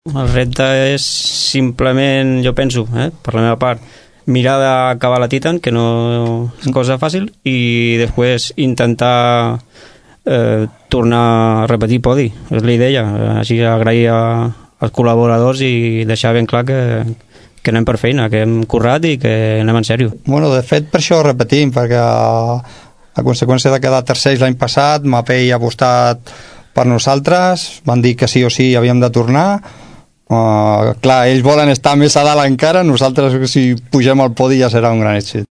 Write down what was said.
El repte és simplement, jo penso, per la meva part, mirar d'acabar la Titan, que no és cosa fàcil, i després intentar tornar a repetir podi, és la idea. Així agrair als col·laboradors i deixar ben clar que anem per feina, que hem currat i que anem en sèrio. Bueno, de fet, per això repetim, perquè a conseqüència de quedar tercers l'any passat, Mapei ha apostat per nosaltres, van dir que sí o sí havíem de tornar. Clar, ells volen estar més a dalt encara, nosaltres si pugem al podi ja serà un gran èxit.